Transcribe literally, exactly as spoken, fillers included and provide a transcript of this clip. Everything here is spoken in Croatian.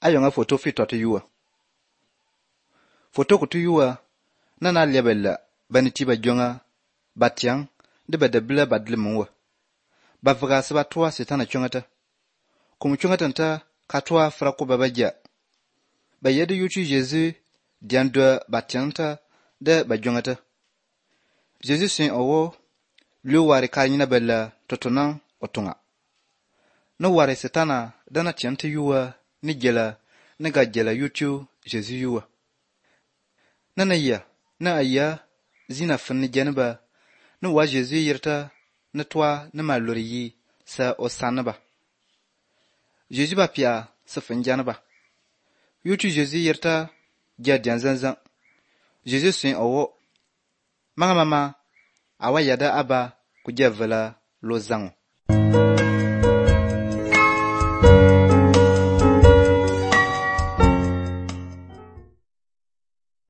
ayonga photo fi to yuwa photo ku yuwa nana lebella baniti ba jonga batyang de badabla badlimwa bavga saba toa setana chungata kum chungata nta katwa frako babaja bayede yutu Jésus diando batyanta de bajongata Jésus sin owo lu wari kanyina bella totona otunga no wari setana dana tiante yuwa ni jela ni gajela yutu Jésus yuwa nana ya na aya zina fanni janaba no wa Jésus yirta na twa na malori sa osanaba Jésus ba pia sa fanjanaba yutu Jésus yirta jadian zanzan Jésus sin owo mama mama awa yada aba kujavala lo zango